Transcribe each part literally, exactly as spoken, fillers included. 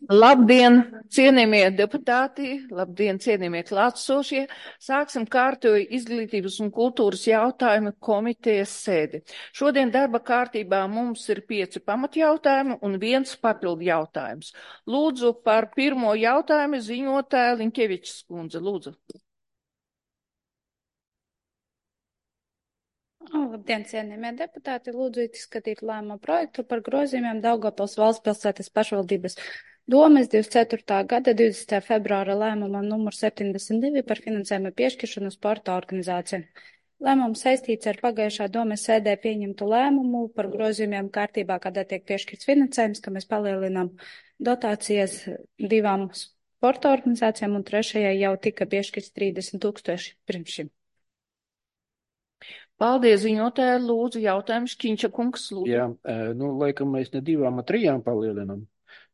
Labdien, cienījamie deputāti, labdien, cienījamie klātsošie. Sāksim kārtoju izglītības un kultūras jautājumu komitejas sēdi. Šodien darba kārtībā mums ir pieci pamatjautājumi un viens papildu jautājums. Lūdzu par pirmo jautājumu ziņotāja Linkevičs kundze. Lūdzu. Labdien, cienījamie deputāti! Lūdzu izskatīt lēmumu projektu par grozījumiem Daugavpils valsts pilsētas pašvaldības domes divdesmit ceturtā gada divdesmitā februāra lēmuma numur septiņdesmit divi par finansējuma piešķiršanu sporta organizācijām. Lēmums saistīts ar pagājušā domes sēdē pieņemtu lēmumu par grozījumiem kārtībā, kādā tiek piešķirts finansējums, ka mēs palielinām dotācijas divām sporta organizācijām un trešajai jau tika piešķirts trīsdesmit tūkstoši pirms šim. Paldies, ziņotāji, lūdzu, jautājums Škiņša kungs, lūdzu. Jā, nu, laikam mēs ne divām, a trijām palielinam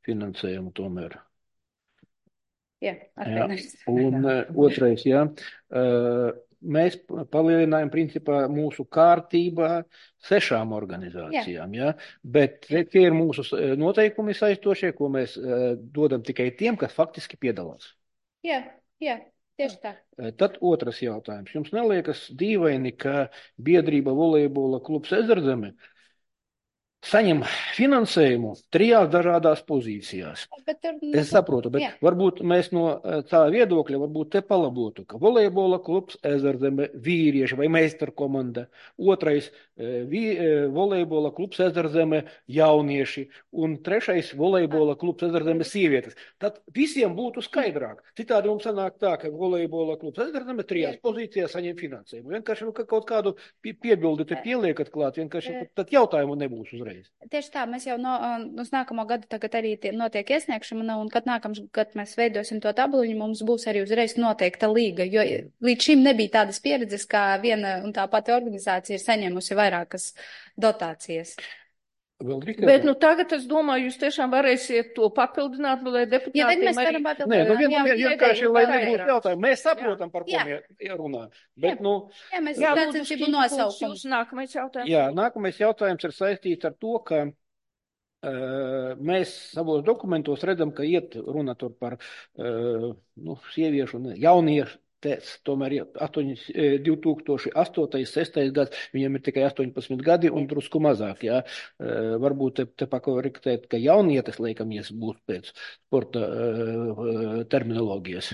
finansējumu tomēr. Jā, atvainojos. Un otrais, jā, mēs palielinājam principā mūsu kārtībā sešām organizācijām, jā, bet tie ir mūsu noteikumi saistošie, ko mēs dodam tikai tiem, kas faktiski piedalās. Jā, jā. Tieši tā. Tad otrs jautājums. Jums neliekas dīvaini, ka biedrība volejbola klubs Ezerzeme saņem finansējumu trijās dažādās pozīcijās? Bet tur, es saprotu, bet jā. Varbūt mēs no tā viedokļa varbūt te palabotu, ka volejbola klubs Ezerzeme vīrieši vai meistarkomanda, otrais vī, volejbola klubs Ezerzeme jaunieši un trešais volejbola klubs Ezerzeme sievietes. Tad visiem būtu skaidrāk. Citādi mums sanāk tā, ka volejbola klubs Ezerzeme trijās jā. Pozīcijās saņem finansējumu. Vienkārši nu, ka kaut kādu piebildi te pieliekat klāt, vienkārši tad, tad jautājumu nebūs uzreiz. Tieši tā, mēs jau no, uz nākamo gadu tagad arī tie, notiek iesniegšana, un kad nākamš gadu mēs veidosim to tabuliņu, mums būs arī uzreiz noteikta līga, jo līdz šim nebija tādas pieredzes, kā viena un tā pati organizācija ir saņēmusi vairākas dotācijas. Bet nu tagad es domāju, jūs tiešām varēsiet to papildināt, nu, lai deputātiem ja, mēs varam arī... Nē, nu vien, vien, vienkārši, lai nebūtu jautājumu. Mēs saprotam, par ko mēs runājam. Bet, jā. nu... Jā, mēs jā, redzam, šī būtu nosaukums. Nākamais jautājums. Jā, nākamais jautājums ir saistīts ar to, ka uh, mēs savos dokumentos redzam, ka iet runa tur par uh, nu, sieviešu un jauniešu. Tēc, tomēr divi tūkstoši astotais, sestais gads, viņam ir tikai astoņpadsmit gadi un drusku mazāk, jā. Uh, varbūt te, te pakoriktēt, ka jaunietes, laikamies, būs pēc sporta uh, terminologijas.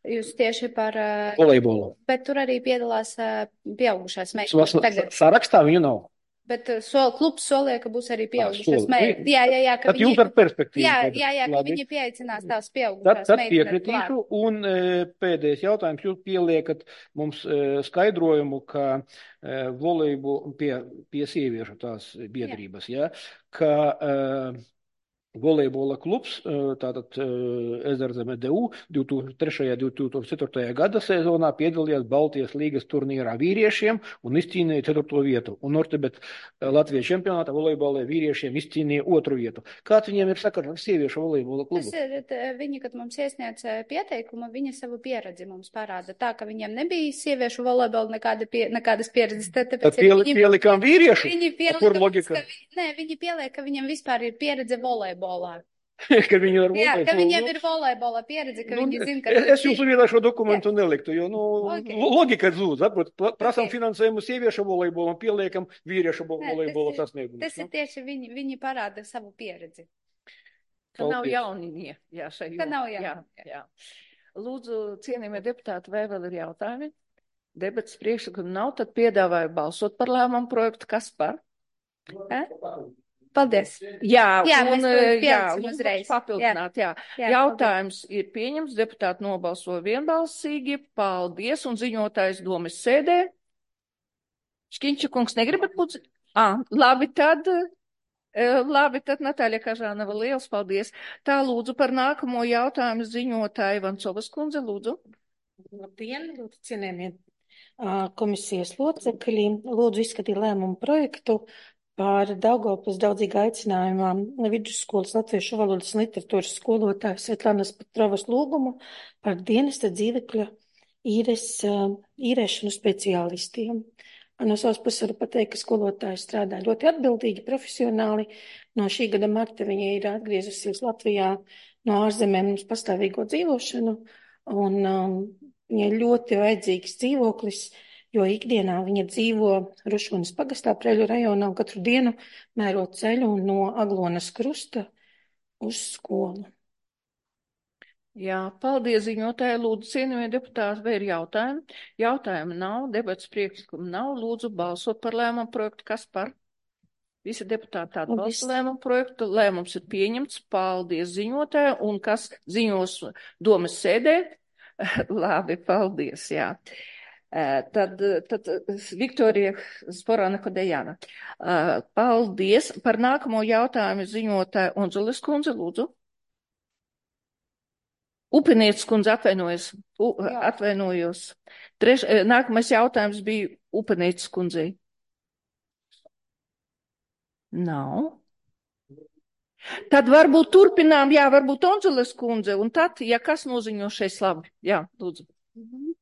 Jūs tieši par... Uh, volejbolu. Bet tur arī piedalās uh, pieaugušās meitenes. Sarakstā viņu nav. Bet sol, klubs solīja, ka būs arī pieaugušās meitenes. Jā, jā, jā. Tad viņi, jūs ar perspektīvu. Jā, jā, jā, ka viņi pieaicinās tās pieaugušās tad, tad meitenes. Piekritīšu. Un e, pēdējais jautājums. Jūs pieliekat mums e, skaidrojumu, ka e, volejbu pie, pie sieviešu tās biedrības, jā, ka... E, volejbola klubs, tātad Ezerzeme D U divi tūkstoši trešajā un divi tūkstoši ceturtajā gada sezonā piedalījās Baltijas līgas turnīrā vīriešiem un izcīnīja ceturto vietu. Un Nortebet Latvijas čempionātā volejbolē vīriešiem izcīnīja otru vietu. Kāds viņiem ir sakars ar sieviešu volejbola klubu? Tas ir, viņi, kad mums iesniedz pieteikumu, viņi savu pieredzi mums parāda. Tā, ka viņiem nebija sieviešu volejbola nekāda pie, nekādas pieredzes. Tad, tad piel, viņi, pielikām vīriešu? Viņi pielika, kur logika? Ka, nē, viņi pieliek, ka viņiem vispār ir pieredze volejbolā. ka viņi ir Jā, ka viņiem ir volejbola pieredze, ka nu, viņi zina, ka... Es jūsu vietā šo dokumentu jā. Neliktu, jo, nu, okay. Logika zūd, saprot, prasam okay. finansējumu sieviešu volejbolam, pieliekam vīriešu volejbola sasniegumus. Tas ir tieši viņi, viņi parāda savu pieredzi. Ka nav jauninie, jā, šai Ka nav jā, jā. Lūdzu, cienījamie deputāti, vai vēl ir jautājumi? Debats priekšlikumu nav, tad piedāvāju balsot par lēmumu projektu. Kas par? Eh? Paldies. Jā, jā un, jā, uzreiz. Papildināt, jā. jā. jā Jautājums paldies. Ir pieņems, deputāti nobalsoja vienbalsīgi, paldies, un ziņotājs domes sēdē. Škiņča kungs negribat būt? Ah, labi, tad, labi, tad Natāļa Kažānava, liels paldies. Tā lūdzu par nākamo jautājumu ziņotāju Vancovas kundze, lūdzu. Labdien, lūdzu, cienējamie komisijas locekļi, lūdzu izskatīt lēmumu projektu par Daugavpils daudzīga aicinājumā vidusskolas latviešu valodas un literatūras skolotāju Svetlanas Petrovas lūgumu par dienesta dzīvekļa īres, īrēšanu speciālistiem. No savas puses varu pateikt, ka skolotāji strādā ļoti atbildīgi, profesionāli, no šī gada marta viņa ir atgriezusies Latvijā no ārzemēm uz pastāvīgo dzīvošanu, un um, viņa ir ļoti vajadzīgs dzīvoklis, jo ikdienā viņa dzīvo Rušunas pagastā Preļu rajonā un katru dienu mēro ceļu no Aglonas krusta uz skolu. Jā, paldies ziņotāji. Lūdzu, cienījamie deputāti, vai ir jautājumi? Jautājumi nav, debats priekšlikumu nav. Lūdzu, balsot par lēmumu projektu. Kas par? Visi deputāti atbalsta lēmumu projektu. Lēmums ir pieņemts. Paldies ziņotāji. Un kas ziņos domas sēdē? Labi, paldies, jā. Tad, tad Viktorija Sporāna Kodejāna. Paldies. Par nākamo jautājumu ziņotāju Unzulis kundze, lūdzu. Upinietis kundze atvainojas, U, atvainojos. Treš, nākamais jautājums bija Upinietis kundzei. Nav. Tad varbūt turpinām, jā, varbūt Onzules kundze, un tad, ja kas noziņo šeit labi. Jā, lūdzu. Mhm.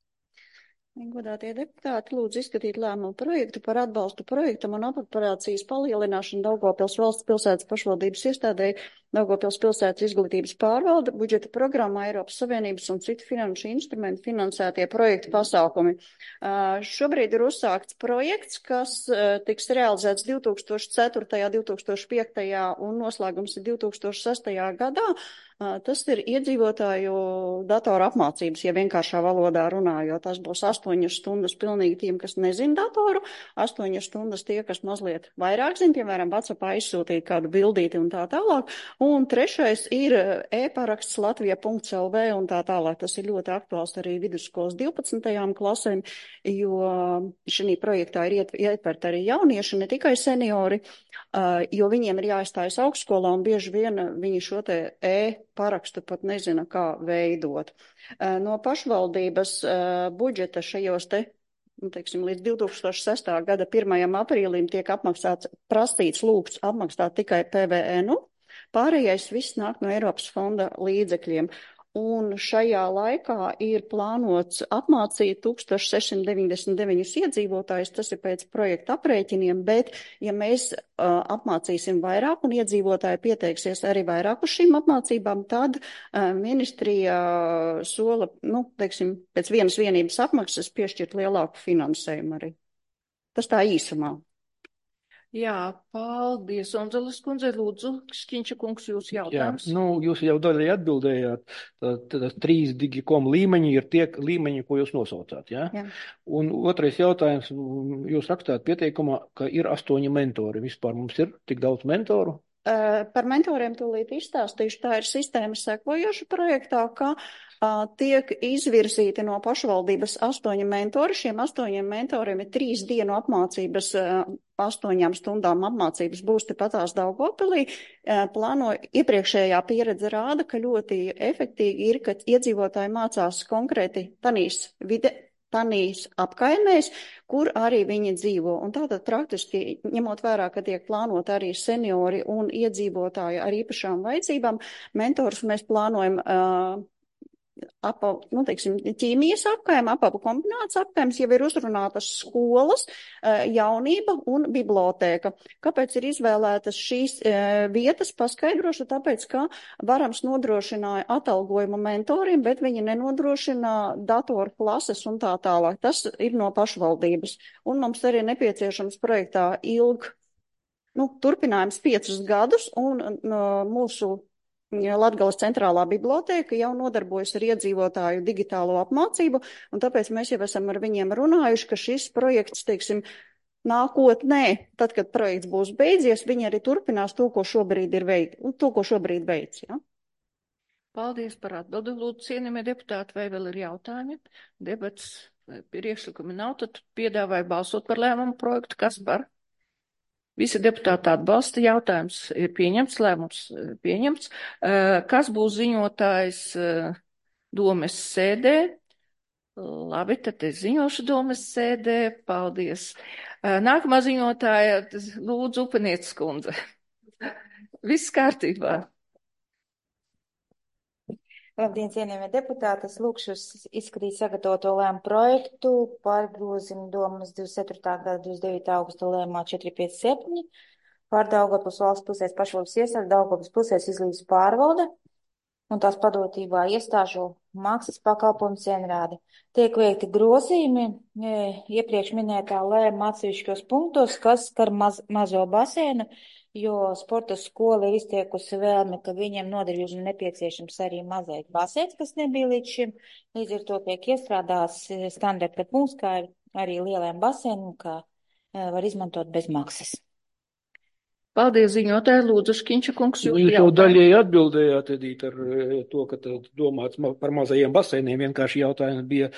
Godātie deputāti, lūdzu izskatīt lēmumu projektu par atbalstu projektam un apropriācijas palielināšanu Daugavpils valsts pilsētas pašvaldības iestādē Daugavpils pilsētas izglītības pārvalde, budžeta programmā Eiropas Savienības un citu finanšu instrumentu finansētie projektu pasākumi. Uh, šobrīd ir uzsākts projekts, kas uh, tiks realizēts divi tūkstoši ceturtajā, divi tūkstoši piektajā un noslēgums ir divi tūkstoši sestajā gadā. Uh, tas ir iedzīvotāju datoru apmācības, ja vienkāršā valodā runājot. Tas būs astoņas stundas pilnīgi tiem, kas nezin datoru, astoņas stundas tie, kas mazliet vairāk zin, piemēram, WhatsAppā izsūtīt kādu bildīti un tā tālāk. Un trešais ir e-paraksts latvija punkts el vē un tā tālāk. Tas ir ļoti aktuāls arī vidusskolas divpadsmitajām klasēm, jo šī projektā ir ietvert arī jaunieši, ne tikai seniori, jo viņiem ir jāizstājas augstskolā un bieži vien viņi šo te e-parakstu pat nezina, kā veidot. No pašvaldības budžeta šajos te, nu, teiksim, līdz divi tūkstoši sestā gada pirmajam aprīlim tiek apmaksāts, prasīts lūgts apmaksāt tikai pe ve enu. Pārējais viss nāk no Eiropas fonda līdzekļiem. Un šajā laikā ir plānots apmācīt tūkstoš sešsimt deviņdesmit deviņus iedzīvotājus, tas ir pēc projekta aprēķiniem, bet ja mēs uh, apmācīsim vairāk un iedzīvotāji pieteiksies arī vairāk uz šīm apmācībām, tad uh, ministrija sola, nu, teiksim, pēc vienas vienības apmaksas piešķirt lielāku finansējumu arī. Tas tā īsumā. Jā, paldies. Onzulis kundze, lūdzu, Šķiņša kungs, jūs jautājums. Jā, nu, jūs jau daļai atbildējāt, tad, tad trīs digikom līmeņi ir tie līmeņi, ko jūs nosaucāt, jā? Jā. Un otrais jautājums, jūs rakstāt pieteikumā, ka ir astoņi mentori. Vispār mums ir tik daudz mentoru? Par mentoriem tūlīt izstāstīšu. Tā ir sistēma sekojoša projektā, ka uh, tiek izvirzīti no pašvaldības astoņi mentori. Šiem astoņiem mentoriem ir trīs dienu apmācības, uh, astoņām stundām apmācības būs tepatās Daugavpilī. Uh, plāno iepriekšējā pieredze rāda, ka ļoti efektīgi ir, ka iedzīvotāji mācās konkrēti tanīs vide. Tanīs apkaimēs, kur arī viņi dzīvo. Un tātad praktiski, ņemot vērā, ka tiek plānot arī seniori un iedzīvotāji ar īpašām vajadzībām, mentors mēs plānojam uh, apa, nu, teiksim, ķīmijas apkaim, apabu kombinācijas apkaims, jau ir uzrunātas skolas, uh, jaunība un bibliotēka. Kāpēc ir izvēlētas šīs uh, vietas, paskaidrošu, tāpēc, ka Varams nodrošināja atalgojumu mentoriem, bet viņi nenodrošina datoru klases un tā tālāk. Tas ir no pašvaldības. Un mums arī nepieciešams projektā ilg, nu, turpinājums piecus gadus, un no, mūsu Latgales centrālā bibliotēka jau nodarbojas ar iedzīvotāju digitālo apmācību, un tāpēc mēs jau esam ar viņiem runājuši, ka šis projekts, teiksim, nākotnē, tad, kad projekts būs beidzies, viņi arī turpinās to, ko šobrīd ir veik, to, ko šobrīd veic, ja? Paldies par atbildi. Lūdzu, cienījamie deputāti, vai vēl ir jautājumi? Debats priekšlikumi nav, tad piedāvāju balsot par lēmumu projektu. Kas par? Visi deputāti atbalsta, jautājums ir pieņemts, lēmums pieņemts. Kas būs ziņotājs domes sēdē? Labi, tad es ziņošu domes sēdē. Paldies. Nākamā ziņotāja, lūdzu, Upinietis kundze. Viss kārtībā. Labdien, cienījamie deputāti, es lūkšu izskatīt sagatavoto lēmumu projektu par grozījumu domas divdesmit ceturtā gada divdesmit devītā augusta lēmumā četri pieci septiņi par Daugavpils valsts pilsētas pašvaldības iestādi Daugavpils pilsētas izglītības pārvalde un tās padotībā iestāžu maksas pakalpojumu cienrādi. Tiek veikti grozījumi e, iepriekš minētā lēma atsevišķos punktos, kas skar maz, mazo baseinu, jo sporta skola ir iztiekusi vēlmi, ka viņiem nodarījumi nepieciešams arī mazais baseins, kas nebija līdz šim. Līdz ar to tiek iestrādās standarta punkts, kā arī lielajam baseinam, kā e, var izmantot bez maksas. Paldies, ziņotāji, lūdzu, Škiņša kungs. Nu, jūs jau daļēji atbildējāt, Edīt, ar to, ka domāts par mazajiem baseiniem. Vienkārši jautājums bija,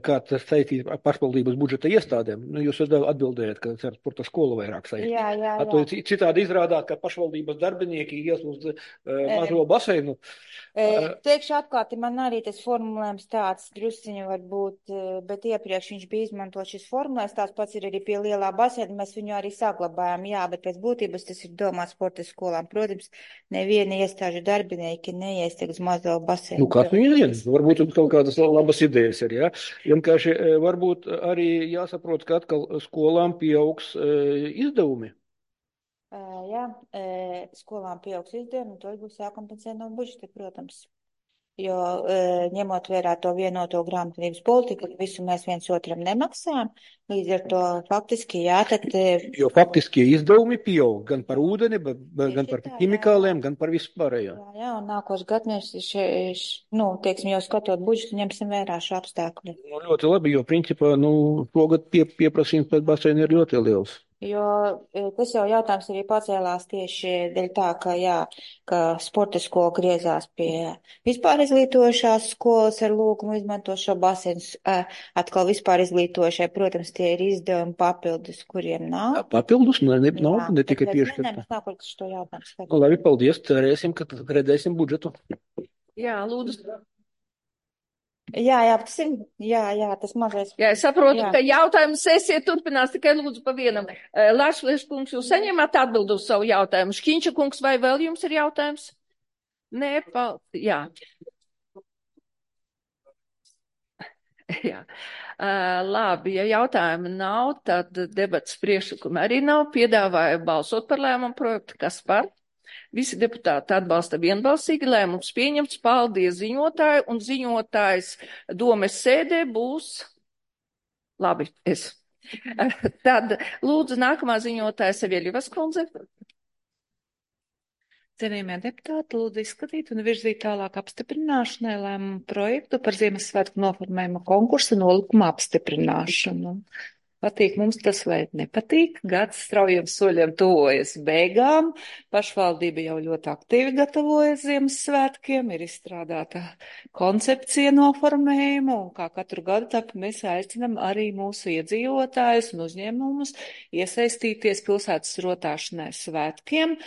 kā tas saistīt ar pašvaldības budžeta iestādēm. Nu, jūs atbildējāt, ka ar sporta skolu vairāk saistīt. Jā, jā, jā. Citādi izrādāt, ka pašvaldības darbinieki ies uz uh, mazo baseinu. Uh, Teikšu atklāti, man arī tas formulējums tāds drusciņu var būt, bet iepriekš viņš bija izmantot šis formulējums, tās pats ir arī pie lielā baseina, mēs viņu arī saglabājam, jā, bet pēc būtības tas ir domāts sporta skolām. Protams, neviena iestāžu darbinieki neies uz mazo baseinu. Nu, kāds viņi zina? Varbūt jums kaut kādas labas idejas ir, jā? Vienkārši varbūt arī jāsaprot, ka atkal skolām pieaugs e, izdevumi. Uh, jā, e, skolām pieaugs izdevumi, un to būs jākompensē no budžeta, protams. Jo e, ņemot vērā to vienoto grāmatvedības politiku, visu mēs viens otram nemaksājam, līdz ar to faktiski jā, tad... Jo faktiski izdevumi pieaug gan par ūdeni, gan par tā, ķimikāliem, jā, jā. gan par vispārējo. Jā, jā, un nākošais gads mēs, še, še, nu, teiksim, jau skatot budžetu, ņemsim vērā šo apstākļu. Nu, ļoti labi, jo principā, nu, šogad pie, pieprasījums pēc baseina ir ļoti liels. Jo tas jau jautājums arī pacēlās tieši dēļ tā, ka, jā, ka sporta skola griezās pie vispār izglītojušās skolas ar lūgumu izmantot šo baseinu. Atkal vispār izglītojušai, protams, tie ir izdevumi papildus, kuriem nav. Papildus? Ne, ne, nav, jā, ne tikai piešķirta. Nē, mēs nākot uz šo jautājumu. Nu, labi, paldies, cerēsim, ka redzēsim budžetu. Jā, lūdzu. Jā, jā, tas ir, jā, jā, tas mazais. Jā, es saprotu, jā. ka jautājumu sesija turpinās tikai lūdzu pa vienam. Lāčplēš kungs, jūs saņemat atbildu uz savu jautājumu. Škiņša kungs, vai vēl jums ir jautājums? Nē, paldies, jā. Jā. Uh, labi, ja jautājumu nav, tad debats priekšlikumi arī nav. Piedāvāju balsot par lēmumu projektu. Kas par? Visi deputāti atbalsta vienbalsīgi, lēmums pieņemts. Paldies ziņotāju, un ziņotājs domes sēdē būs. Labi, es. Tad lūdzu nākamā ziņotāja Savieļevas kundze. Cienījamie deputāti, lūdzu izskatīt un virzīt tālāk apstiprināšanai lēmumu projektu par Ziemassvētku noformējuma konkursa nolikuma apstiprināšanu. Patīk mums tas vai nepatīk, gads straujiem soļiem tuvojas beigām, pašvaldība jau ļoti aktīvi gatavojas Ziemassvētkiem, ir izstrādāta koncepcija noformējuma, un kā katru gadu tāpēc mēs aicinam arī mūsu iedzīvotājus un uzņēmumus iesaistīties pilsētas rotāšanai svētkiem.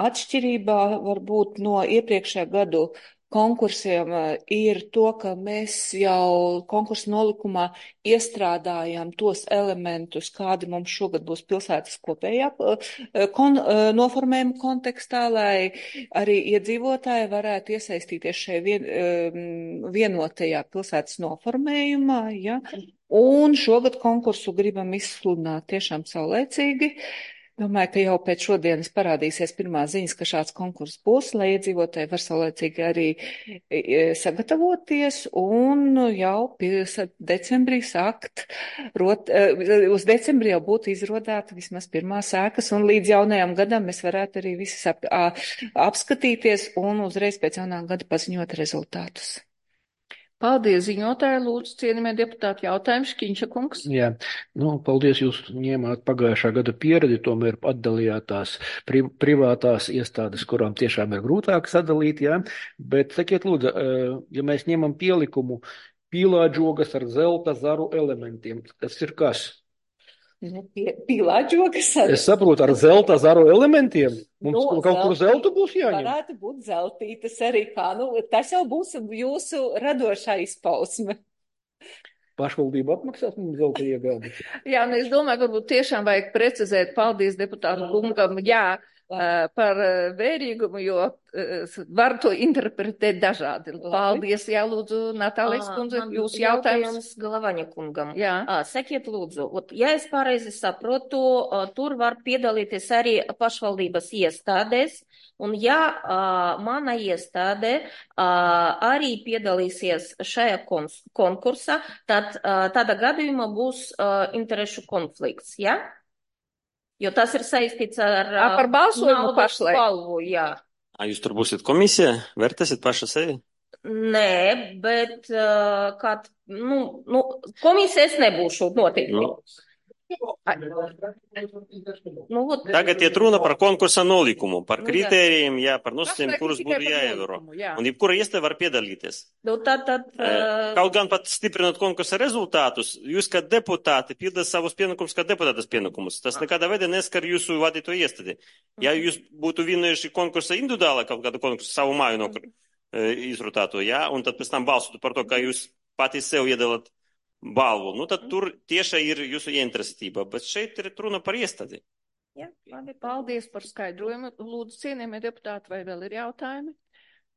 Atšķirībā varbūt no iepriekšējā gadu konkursiem ir to, ka mēs jau konkursu nolikumā iestrādājām tos elementus, kādi mums šogad būs pilsētas kopējā kon, noformējuma kontekstā, lai arī iedzīvotāji varētu iesaistīties šajā vien, vienotajā pilsētas noformējumā. Ja? Un šogad konkursu gribam izsludināt tiešām saulēcīgi. Domāju, ka jau pēc šodienas parādīsies pirmā ziņas, ka šāds konkurss būs, lai iedzīvotāji var saulēcīgi arī sagatavoties un jau decembrī sākt, rot, uz decembrī jau būtu izrodāta vismaz pirmā sēkas, un līdz jaunajam gadam mēs varētu arī visi ap, apskatīties un uzreiz pēc jaunā gada paziņot rezultātus. Paldies, ziņotāji, lūdzu, cienījamie deputāti, jautājumu Škiņša kungs. Jā, nu, paldies, jūs ņēmāt pagājušā gada pieredzi, tomēr atdalījāt tās pri, privātās iestādes, kurām tiešām ir grūtāk sadalīt, jā, bet sakiet, lūdzu, ja mēs ņemam pielikumu pīlādžogas ar zelta zaru elementiem, tas ir kas? Pīlādžogas ar... Es saprotu, ar zelta zaru elementiem? Mums no, kaut zelti, kur zeltu būs jāņem? Varētu būt zeltītas arī kā, nu, tas jau būs jūsu radošā izpausme. Pašvaldība apmaksās mums zelta iegādi. Jā, un es domāju, varbūt tiešām vajag precizēt, paldies deputātu kungam, jā, uh, par uh, vērīgumu, jo uh, var to interpretēt dažādi. Paldies, jā, lūdzu, Natālijas kundze, jūs jautājums. Galavaņa kungam. Jā. Sakiet, lūdzu, ot, ja es pareizi saprotu, tur var piedalīties arī pašvaldības iestādēs, un ja mana iestāde arī piedalīsies šajā konkursā, tad tādā gadījumā būs interešu konflikts, jā? Ja? Jo tas ir saistīts ar A, par balsojumu naudas pašlaik. balvu, jā. A, jūs tur būsiet komisija? Vērtēsiet paša sevi? Nē, bet uh, kād, nu, nu, komisija es nebūšu noteikti. Nu. Nu, ot, Tagad iet runa par konkursa nolikumu, par Nu, jā. kritērijiem, jā, par nosacījumiem, Pašlaik kurus tikai būtu par jāievēro. nolikumu, jā. Un jebkura iestāde var piedalīties. nu, tad, tad, uh, Kaut gan pat stiprinot konkursa rezultātus, jūs kā deputāti pildat savus pienākumus kā deputātas pienākumus. Tas nekādā veidā neskar jūsu vadīto iestādi. Ja jūs būtu vienojuši konkursa individuāli, kaut kādu konkursu savu māju no izrutēto, jā, un tad pēc tam balsotu par to, kā jūs pati sev iedalat balvu, nu tad tur tieši ir jūsu ieinteresētība, bet šeit ir runa par iestādi. jā, labi, Paldies par skaidrojumu. Lūdzu, cienījamie deputāti, vai vēl ir jautājumi?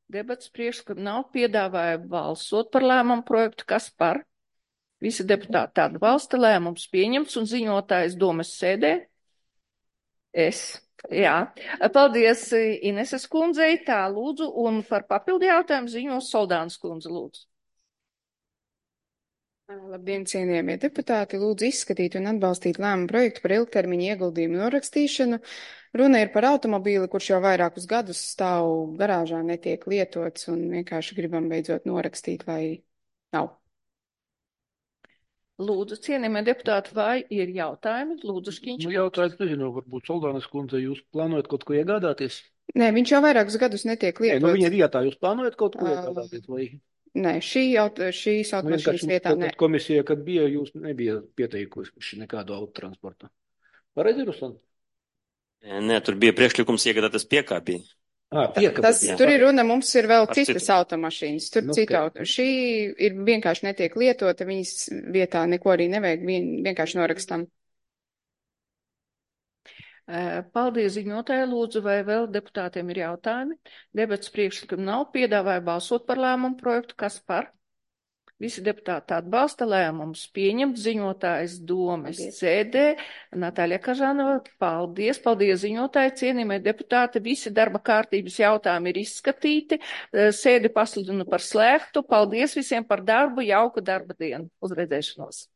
Debats priekšlikumi nav, piedāvāja balsot par lēmumu projektu, kas par? Visi deputāti atbalsta, lēmums pieņemts un ziņotājs domas sēdē. Es. Jā. Paldies Ineses kundzei, tā lūdzu, un par papildu jautājumu ziņos Soldānas kundze, lūdzu. Labdien, cienījamie deputāti! Lūdzu izskatīt un atbalstīt lēmumu projektu par ilgtermiņa ieguldījumu norakstīšanu. Runa ir par automobīli, kurš jau vairākus gadus stāv garāžā, netiek lietots un vienkārši gribam beidzot norakstīt, lai nav. Lūdzu, cienījamie deputāti, vai ir jautājumi? Lūdzu, Škiņš. Nu, jautājums, nezinu, varbūt Soldānas kundze, jūs plānojat kaut ko iegādāties? Nē, viņš jau vairākus gadus netiek Nē, lietots. nu viņa vietā jūs plānojat kaut ko Ā, iegādāties? Vai? Nē, šī aut šīs Nu, automašīnas vienkārši vietā tad, nē. kad komisija, kad bija, jūs nebija pieteikuši nekādu autotransportu. Pareizi, Ruslan? Nē, tur bija priekšlikums iegādāties piekāpī. Ā, piekabes, Tas, jā. tur ir runa, mums ir vēl Par citas citu. automašīnas, tur Nu, citu ok. auto. Šī ir vienkārši netiek lietota, viņas vietā neko arī nevajag, vien, vienkārši norakstam. Paldies ziņotāji, lūdzu, vai vēl deputātiem ir jautājumi? Debats priekšlikumi nav, piedāvāja balsot par lēmumu projektu, kas par? Visi deputāti atbalsta lēmumus pieņemt, ziņotājs domas sēdē. Natāļa Kažanova, paldies, paldies ziņotāji, cienījamie deputāti, visi darba kārtības jautājumi ir izskatīti, sēdi pasludinu par slēgtu, paldies visiem par darbu, jauku darba dienu, uz redzēšanos.